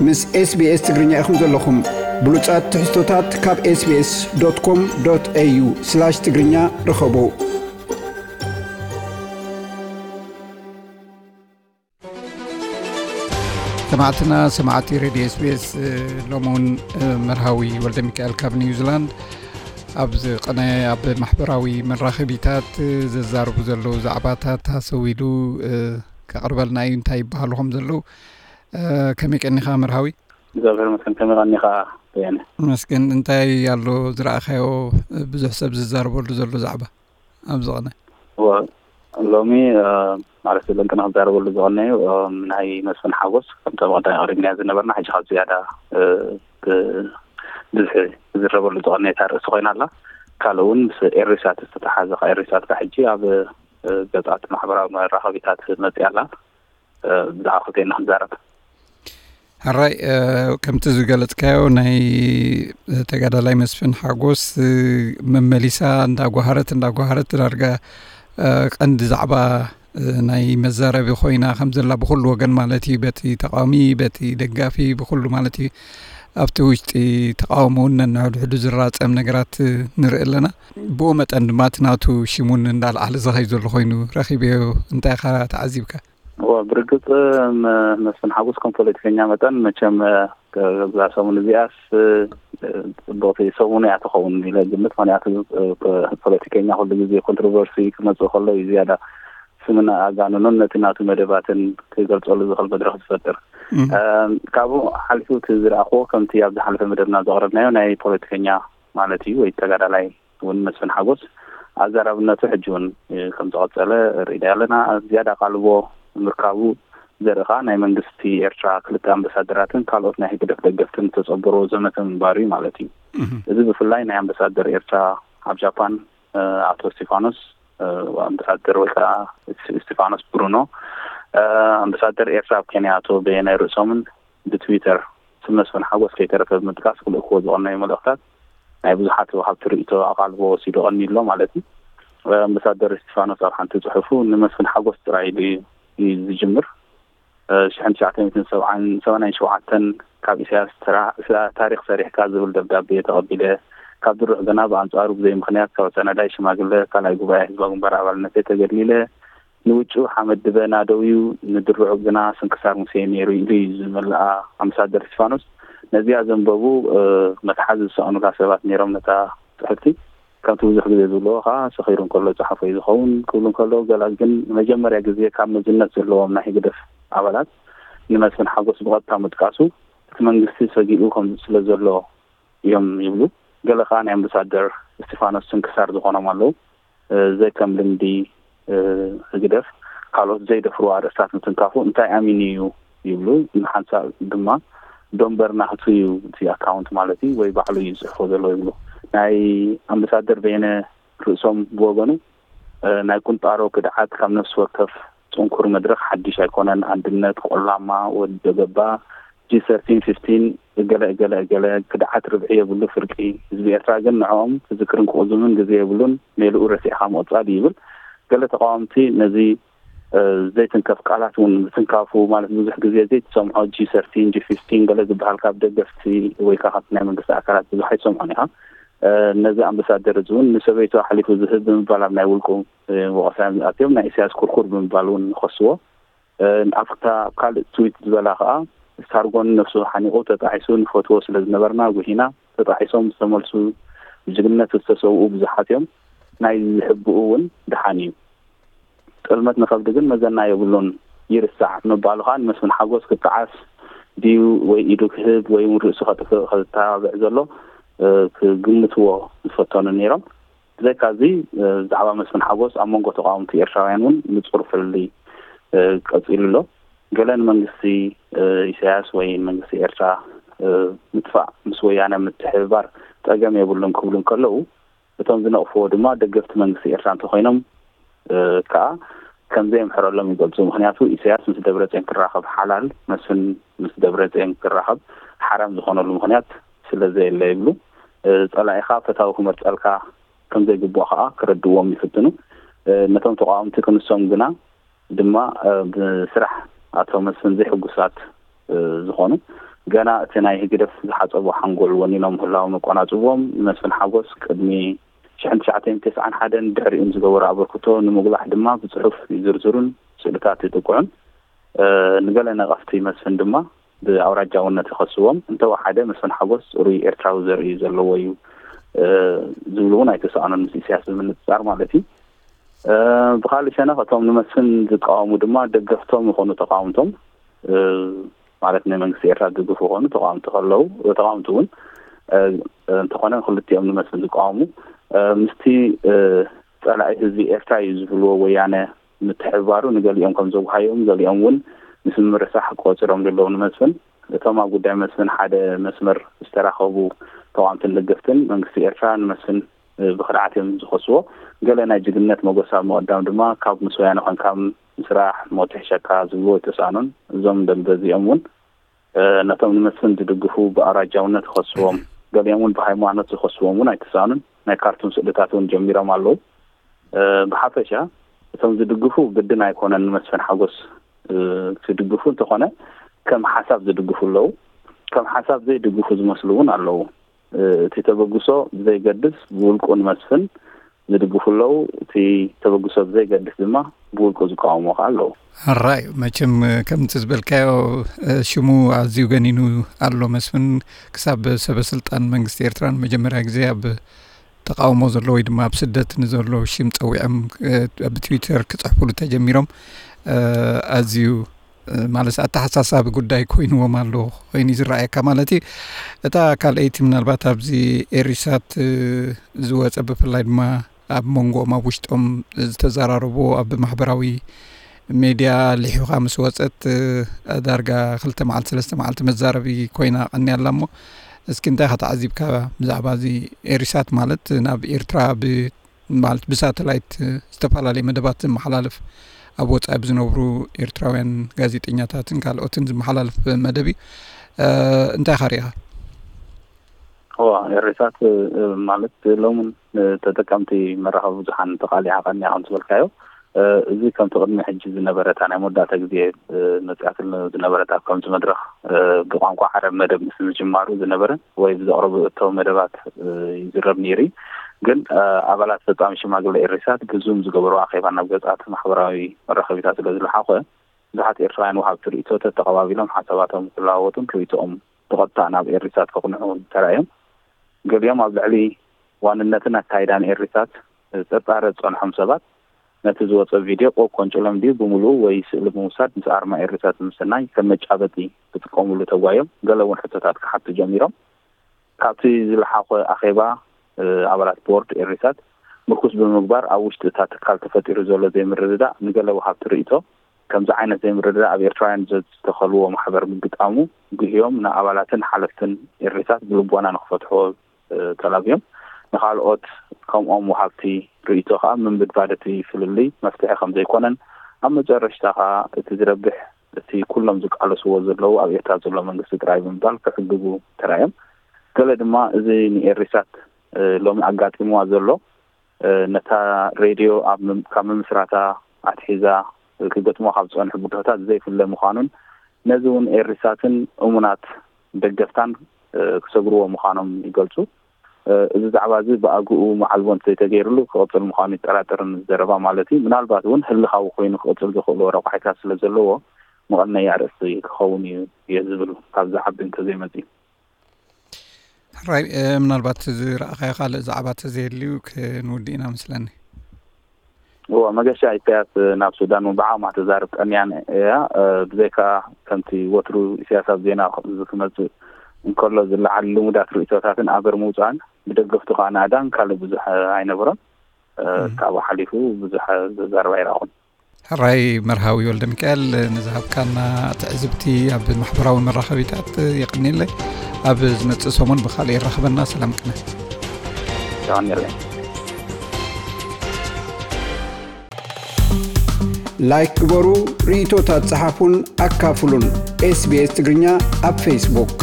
ምስ SBS ትግርኛ ኢኹም ዘለኹም። ብሉጻት ትሕዝቶታት ካብ SBS.com.au/ትግርኛ ርኸቡ። ሰማዕትና፣ ሰማዕቲ ሬድዮ SBS፣ እ፣ ሎሚ እውን፣ እ፣ መርሃዊ ወልደ ሚካኤል ካብ ኒውዚላንድ ኣብ ዝቐነ ኣብ ማሕበራዊ መራኸቢታት፣ እ፣ ዘዛርቡ ዘለዉ ዛዕባታት ሃሰው ኢሉ፣ እ፣ ከቕርበልና እዩ። እንታይ ይበሃሉ ከም ዘለዉ፣ እ፣ ከመይ ቀኒኻ መርሃዊ? እግዚኣብሔር ይመስገን፣ ከመይ ቀኒኻ በየነ? መስገን። እንታይ ኣሎ ዝረኣኻዮ፣ እ፣ ብዙሕ ሰብ ዝዛረበሉ ዘሎ ዛዕባ? ኣብዚ ቐነ? እወ፣ ሎሚ፣ እ፣ ማለት ለንቅና ክዛረበሉ ዝቐነዩ፣ እ፣ ናይ መስፍን ሓጎስ፣ ከምቲ ኣብ ቀዳሚ ኣቕሪብናዮ ዝነበርና፣ ሕጂ ካብ ዝያዳ፣ እ፣ ብ-፣ ብዝሒ ዝዝረበሉ ዝቐነየት ኣርእስቲ ኮይና ኣላ። ካልእ እውን ምስ ኤሪሳት ዝተተሓዘ፣ ካብ ኤሪሳት ካብ ሕጂ ኣብ፣ እ፣ ገጻት ማሕበራዊ መራኸቢታት መጽያ ኣላ። እ፣ ብዛዕባ ክልቴና ክንዛረብ። ሕራይ፣ እ፣ ከምቲ ዝገለጽካዮ፣ ናይ ተጋዳላይ መስፍን ሓጎስ፣ እ፣ መመሊሳ እንዳጓሃረት፣ እንዳጓሃረት፣ ዳርጋ፣ እ፣ ቀንዲ ዛዕባ፣ እ፣ ናይ መዛረቢ ኮይና ከም ዘላ፣ ብኹሉ ወገን ማለት እዩ፣ በቲ ተቃዋሚ፣ በቲ ደጋፊ፣ ብኹሉ ማለት እዩ። ኣብቲ ውሽጢ ተቃውሞ እውን ነንሕድሕዱ ዝራጸም ነገራት፣ እ፣ ንርኢ ኣለና። ብኡ መጠን ድማ እቲ ናቱ ሽም እውን እንዳልዓለ ዝኸይድ ዘሎ ኮይኑ ረኺበዮ። እንታይ ኢኻ ተዓዚብካ? እወ፣ ብርግጽ፣ መ-፣ መስፍን ሓጎስ ከም ፖለቲከኛ መጠን፣ መቸም፣ እ፣ እዛ ሰሙን እዚኣስ፣ እ፣ ጽቡቕቲ ሰሙን እያ ትኸውን ኢለ ግምት። ምኽንያቱ፣ እ፣ ፖ-፣ ፖለቲከኛ ኩሉ ግዜ ኮንትሮቨርሲ ክመጽእ ከሎ እዩ ዝያዳ ስምን ኣጋንኖን ነቲ ናቱ መደባትን ክገልጸሉ ዝኽእል መድረኽ ዝፈጥር። እም። እ፣ ካብኡ ሓሊፉ እቲ ዝረኣኽዎ፣ ከምቲ ኣብ ዝሓለፈ መደብና ዘቕረብናዮ፣ ናይ ፖለቲከኛ ማለት እዩ፣ ወይ ተጋዳላይ እውን መስፍን ሓጎስ ኣዛራብነቱ ሕጂ እውን፣ እ፣ ከም ዝቐጸለ ርኢና ኣለና። ዝያዳ ኣቓልቦ ምርካቡ ዘርኢ ከኣ ናይ መንግስቲ ኤርትራ ክልተ ኣምባሳደራትን ካልኦት ናይ ህግደፍ ደገፍትን ዝተጸንበርዎ ዘመተ ምንባሩ እዩ ማለት እዩ። እህ። እዚ ብፍላይ ናይ ኣምባሳደር ኤርትራ ኣብ ጃፓን፣ እ፣ ኣቶ እስቲፋኖስ፣ እ፣ ኣምባሳደር ወይ ከኣ እስ-፣ እስቲፋኖስ ብሩኖ፣ እ፣ ኣምባሳደር ኤርትራ ኣብ ኬንያ ኣቶ በየነ ርእሶምን ብትዊተር ስም መስፍን ሓጎስ ከይተረፈ ብምጥቃስ ክልእክዎ ዝቐነዩ መልእኽታት ናይ ብዙሓት ወሃብቲ ርእይቶ ኣቓልቦ ወሲዱ ቀኒዩ ኣሎ ማለት እዩ። ኣምባሳደር እስቲፋኖስ ኣብ ሓንቲ ጽሑፉ ንመስፍን ሓጎስ ጥራይ ኢሉ እዩ ዝጅምር። ሽሕን ትሽዓተ ሚእትን ሰብዓን ሰማንያን ሸውዓተን ካብ ኢሳያስ ተራ-፣ ታሪኽ ሰሪሕካ ዝብል ደብዳቤ ተቐቢለ፣ ካብ ድሩዕ ግና ብኣንጻሩ ብዘይ ምኽንያት ካብ ኣሰናዳይ ሽማግለ ካልኣይ ጉባኤ ህዝባዊ ግንባር ኣባልነተይ ተገድሊለ፣ ንውጩ ሓመድ ድበና ደውዩ፣ ንድርዑ ግና ስንክሳር ሙሴ ነይሩ ኢሉ እዩ ዝመልኣ ኣምባሳደር እስቲፋኖስ። ነዚኣ ዘንበቡ፣ እ፣ መትሓዚ ዝሰኣኑላ ሰባት ነይሮም ነታ ጽሕፍቲ። ከምቲ ብዙሕ ግዜ ዝብልዎ ከኣ፣ ሰኺሩ እንከሎ ዝጸሓፎ እዩ ዝኸውን ክብሉ እንከለዉ፣ ገለ ግን ንመጀመርያ ግዜ ካብ መዝነት ዘለዎም ናይ ህግደፍ ኣባላት ንመስፍን ሓጎስ ብቐጥታ ምጥቃሱ፣ እቲ መንግስቲ ሰጊኡ ከም ስለ ዘሎ እዮም ይብሉ። ገለ ከኣ ናይ ኣምባሳደር እስቲፋኖስ ስንክሳር ዝኾኖም ኣለዉ። እ፣ ዘይከም ልምዲ፣ እ፣ ህግደፍ ካልኦት ዘይደፍርዎ ኣርእስታት ምትንካፉ እንታይ ኣሚኑ እዩ ይብሉ። ንሓንሳእ ድማ ዶምበር ናህቱ እዩ እቲ ኣካውንት ማለት እዩ፣ ወይ ባዕሉ እዩ ዝጽሕፎ ዘሎ ይብሉ። ናይ ኣምባሳደር በየነ ርእሶም ብወገኑ፣ እ፣ ናይ ቁንጣሮ ክድዓት ካብ ነፍሲ ወከፍ ጽንኩር መድረኽ ሓድሽ ኣይኮነን። ኣንድነት፣ ቆላማ፣ ወዲ ደገባ፣ ጂ ሰርቲን ፊፍቲን፣ እገለ እገለ እገለ፣ ክድዓት ርብዒ የብሉ ፍርቂ። ህዝቢ ኤርትራ ግን ንዕኦም ክዝክርን ክቕዝምን ግዜ የብሉን፣ ሜልኡ ረሲዕኻ ምቕጻል እዩ ይብል። ገለ ተቓወምቲ ነዚ፣ እ፣ ዘይትንከፍ ቃላት እውን ምትንካፉ፣ ማለት ብዙሕ ግዜ ዘይትሰምዖ ጂ ሰርቲን፣ ጂ ፊፍቲን ገለ ዝበሃል ካብ ደገፍቲ ወይ ከኣ ካብቲ ናይ መንግስቲ ኣካላት ብዙሕ ኣይትሰምዖን ኢኻ። እ፣ ነዚ ኣምባሳደር እዚ እውን ንሰበይቱ ኣሕሊፉ ዝህብ ብምባል ኣብ ናይ ውልቁ፣ እ፣ ወቐሳ እዮም ዝኣትዮም። ናይ ኢሳያስ ኩርኩር ብምባል እውን ይኸስዎ። እ፣ ኣብታ ኣብ ካልእ ትዊት ዝበላ ከኣ፣ ሳርጎን ነፍሱ ሓኒቑ ተጣዒሱ ንፈትዎ ስለ ዝነበርና ጉሂና፣ ተጣዒሶም ዝተመልሱ ብጅግንነት ዝተሰውኡ ብዙሓት እዮም። ናይ ዝሕብኡ እውን ደሓን እዩ። ጥልመት ንኸብዲ ግን መዘና የብሉን፣ ይርሳዕ ምባሉ ከኣ ንመስፍን ሓጎስ ክጠዓስ ድዩ ወይ ኢዱ ክህብ ወይ እውን ርእሱ ከጥፍእ ከተባብዕ ዘሎ፣ እ፣ ክግምትዎ ዝፈተኑ ነይሮም። ብዘይካዚ፣ እ፣ ብዛዕባ መስፍን ሓጎስ ኣብ መንጎ ተቓወምቲ ኤርትራውያን እውን ንጹር ፍልልይ፣ እ፣ ቀጺሉ ኣሎ። ገለ ንመንግስቲ፣ እ፣ ኢሳያስ ወይ ንመንግስቲ ኤርትራ፣ እ፣ ምጥፋእ ምስ ወያነ ምትሕብባር ጸገም የብሉን ክብሉ እንከለዉ፣ እቶም ዝነቕፍዎ ድማ ደገፍቲ መንግስቲ ኤርትራ እንተኾይኖም፣ እ፣ ከኣ ከም ዘየምሕረሎም ይገልጹ። ምኽንያቱ ኢሳያስ ምስ ደብረጽዮን ክራኸብ ሓላል፣ መስፍን ምስ ደብረጽዮን ክራኸብ ሓራም ዝኾነሉ ምኽንያት ስለ ዘየለ ይብሉ። እ፣ ጸላኢኻ ፈታዊ ክመርጸልካ ከም ዘይግብኦ ከኣ ክረድእዎም ይፍትኑ። እ፣ ነቶም ተቓወምቲ ክንሶም ግና ድማ፣ እ፣ ብስራሕ ኣቶ መስፍን ዘይሕጉሳት፣ እ፣ ዝኾኑ፣ ገና እቲ ናይ ህግደፍ ዝሓጸቦ ሓንጎል ወኒኖም ምህላዎም ኣቆናጽብዎም፣ ንመስፍን ሓጎስ ቅድሚ ሽሕን ትሽዓተ ሚእትን ተስዓን ሓደን ድሕሪኡን ዝገበሮ ኣበርክቶ ንምጉላሕ ድማ ብጽሑፍ ይዝርዝሩን ስእልታት ይጥቅዑን። ንገለ ነቐፍቲ መስፍን ድማ ብኣውራጃውነት ይኸስዎም። እንተወሓደ መስፍን ሓጎስ ጽሩይ ኤርትራዊ ዘርኢ ዘለዎ እዩ ዝብሉ እውን ኣይተሳእኑን፣ ምስ ኢሳያስ ብምንጽጻር ማለት እዩ። ብኻልእ ሸነኽ እቶም ንመስፍን ዝቃወሙ ድማ ደገፍቶም ይኾኑ ተቃወምቶም፣ ማለት ንመንግስቲ ኤርትራ ዝድግፉ ይኾኑ ተቃወምቲ ከለዉ፣ ተቃወምቲ እውን እንተኾነ ክልቲኦም ንመስፍን ዝቃወሙ ምስቲ ጸላኢ ህዝቢ ኤርትራ እዩ ዝብልዎ ወያነ ምትሕብባሩ ንገሊኦም ከም ዘጉሃዮም፣ ገሊኦም እውን ምስ ምርሳሕ ቆጺሮም ዘለዉ ንመስፍን። እቶም ኣብ ጉዳይ መስፍን ሓደ መስመር ዝተራኸቡ ተቃወምትን ደገፍትን መንግስቲ ኤርትራ ንመስፍን ብኽድዓት እዮም ዝኸስዎ። ገለ ናይ ጅግንነት መጎሳ ብምቕዳም ድማ ካብ ምስ ወያነ ኮንካ ምስራሕ ሞት ይሕሸካ ዝብልዎ ኣይተሳእኑን። እዞም ደንበ እዚኦም እውን ነቶም ንመስፍን ዝድግፉ ብኣውራጃውነት ይኸስዎም፣ ገሊኦም እውን ብሃይማኖት ዝኸስዎም እውን ኣይተሳእኑን። ናይ ካርቱን ስእልታት እውን ጀሚሮም ኣለዉ። ብሓፈሻ እቶም ዝድግፉ ግድን ኣይኮነን ንመስፍን ሓጎስ ክድግፉ፣ እንተኾነ ከም ሓሳብ ዝድግፉ ኣለዉ። ከም ሓሳብ ዘይድግፉ ዝመስሉ እውን ኣለዉ። እቲ ተበግሶ ብዘይገድስ ብውልቁ ንመስፍን ዝድግፉ ኣለዉ። እቲ ተበግሶ ብዘይገድስ ድማ ብውልቁ ዝቃወሙ ከዓ ኣለዉ። ሕራይ፣ መቸም ከምቲ ዝበልካዮ ሽሙ ኣዝዩ ገኒኑ ኣሎ። መስፍን ክሳብ ሰበ ስልጣን መንግስቲ ኤርትራ ንመጀመርያ ግዜ ኣብ ተቃውሞ ዘሎ ወይ ድማ ኣብ ስደት ንዘሎ ሽም ጸዊዖም ኣብ ትዊተር ክጽሕፉሉ ተጀሚሮም ኣዝዩ ማለት ኣተሓሳሳቢ ጉዳይ ኮይንዎም ኣሎ ኮይኑ እዩ ዝረኣየካ ማለት እዩ። እታ ካልኣይቲ ምናልባት ኣብዚ ኤሪሳት ዝወጸ ብፍላይ ድማ ኣብ መንጎኦም ኣብ ውሽጦም ዝተዘራረብዎ ኣብ ማሕበራዊ ሜድያ ሊሒኻ ምስ ወጸት ዳርጋ ክልተ መዓልቲ ሰለስተ መዓልቲ መዛረቢ ኮይና ቀኒያ ኣላ እሞ እስኪ እንታይ ኢኻ ተዓዚብካ ብዛዕባ እዚ ኤሪሳት ማለት ናብ ኤርትራ ብ ማለት ብሳተላይት ዝተፈላለየ መደባት ዝመሓላለፍ ኣብ ወጻኢ ብዝነብሩ ኤርትራውያን ጋዜጠኛታትን ካልኦትን ዝመሓላለፍ መደብ እዩ። እንታይ ኢኻ ሪኢኻ? እዋ ኤሪሳት ማለት ሎምን ተጠቀምቲ መራኸቢ ብዙሓን ተቓሊዓ ቀኒያ ከም ዝበልካዮ እዚ ከምቲ ቅድሚ ሕጂ ዝነበረ እታ ናይ መወዳእታ ግዜ መፅኣትሉ ዝነበረት ኣብ ከምዚ መድረኽ ብቋንቋ ዓረብ መደብ ምስ ምጅማሩ ዝነበረ ወይ ብዘቕረቡ እቶ መደባት ይዝረብ ነይሩ። ግን ኣባላት ፈጻሚ ሽማግለ ኤሪሳት ብዙም ዝገበሩ ኣኼባ ናብ ገጻት ማሕበራዊ መራኸቢታት ስለ ዝለሓኸ ብዙሓት ኤርትራውያን ወሃብቲ ርእይቶ ተተቐባቢሎም ሓሳባቶም ክለዋወጡን ርእይቶኦም ብቐጥታ ናብ ኤሪሳት ከቕንዑ ተራእዮም። ገሊኦም ኣብ ልዕሊ ዋንነትን ኣካይዳን ኤሪሳት ጥርጣረ ዝጸንሖም ሰባት ነቲ ዝወጸ ቪድዮ ቆብ ኮንጭሎም ድዩ ብምሉኡ ወይ ስእሊ ብምውሳድ ምስ ኣርማ ኤሪሳት ብምስናይ ከም መጫበጢ ክጥቀምሉ ተጓዮም። ገለ እውን ሕቶታት ክሓቱ ጀሚሮም። ካብቲ ዝለሓኾ ኣኼባ ኣባላት ቦርድ ኤሪሳት ምርኩስ ብምግባር ኣብ ውሽጢ እታ ትካል ተፈጢሩ ዘሎ ዘይምርድዳእ ንገለ ወሃብቲ ርእይቶ ከምዚ ዓይነት ዘይምርድዳእ ኣብ ኤርትራውያን ዝተኸልዎ ማሕበር ምግጣሙ ጉህዮም ንኣባላትን ሓለፍትን ኤሪሳት ብልቦና ንክፈትሕዎ ተላብዮም። ንኻልኦት ከምኦም ወሃብቲ ርእይቶ ከዓ ምንብድባድ እቲ ፍልልይ መፍትሒ ከም ዘይኮነን ኣብ መጨረሽታ ከዓ እቲ ዝረብሕ እቲ ኩሎም ዝቃለስዎ ዘለዉ ኣብ ኤርትራ ዘሎ መንግስቲ ጥራይ ብምባል ክዕግቡ ተራእዮም። ገለ ድማ እዚ ንኤሪሳት ሎሚ ኣጋጢምዋ ዘሎ ነታ ሬድዮ ካብ ምምስራታ ኣትሒዛ ክገጥሞ ካብ ዝፀንሑ ብድሆታት ዘይፍለ ምዃኑን ነዚ እውን ኤሪሳትን እሙናት ደገፍታን ክሰግርዎ ምዃኖም ይገልፁ። እዚ ዛዕባ እዚ ብኣግኡ መዓልቦ እንተዘይተገይርሉ ክቕፅል ምዃኑ ይጠራጠርን ዘረባ ማለት እዩ። ምናልባት እውን ህልኻዊ ኮይኑ ክቕፅል ዘኽእልዎ ረቋሒታት ስለ ዘለዎ መቐነይ ኣርእስቲ ክኸውን እዩ እየ ዝብል ካብ ዝዓቢ እንተዘይመፅእ። ሕራይ ምናልባት ዝረኣኻዮ ካልእ ዛዕባ ተዘየልዩ ክንውድእ ኢና መስለኒ። እዎ መገሻ ኢሳያስ ናብ ሱዳን እውን ብዓቕማ ተዛርብ ቀንያን እያ። ብዘይካ ከምቲ ወትሩ ኢሳያስ ኣብ ዜና ክመፅእ እንከሎ ዝለዓል ልሙዳት ርእይቶታትን ኣበር ምውፃእን ብደገፍቱ ከዓ ናእዳን ካልእ ብዙሕ ኣይነበሮን። ካብኡ ሓሊፉ ብዙሕ ዘዛርብ ኣይረኣኹን። ሕራይ መርሃዊ ወልደ ሚካኤል ንዝሃብካና ትዕዝብቲ ኣብ ማሕበራዊ መራኸቢታት የቐንየለይ። ኣብ ዝመጽእ ሰሙን ብኻልእ ይራኸበና። ሰላም ቅነ። ይቐንየለይ። ላይክ ግበሩ፣ ርእይቶታት ጸሓፉን ኣካፍሉን። ኤስቢኤስ ትግርኛ ኣብ ፌስቡክ።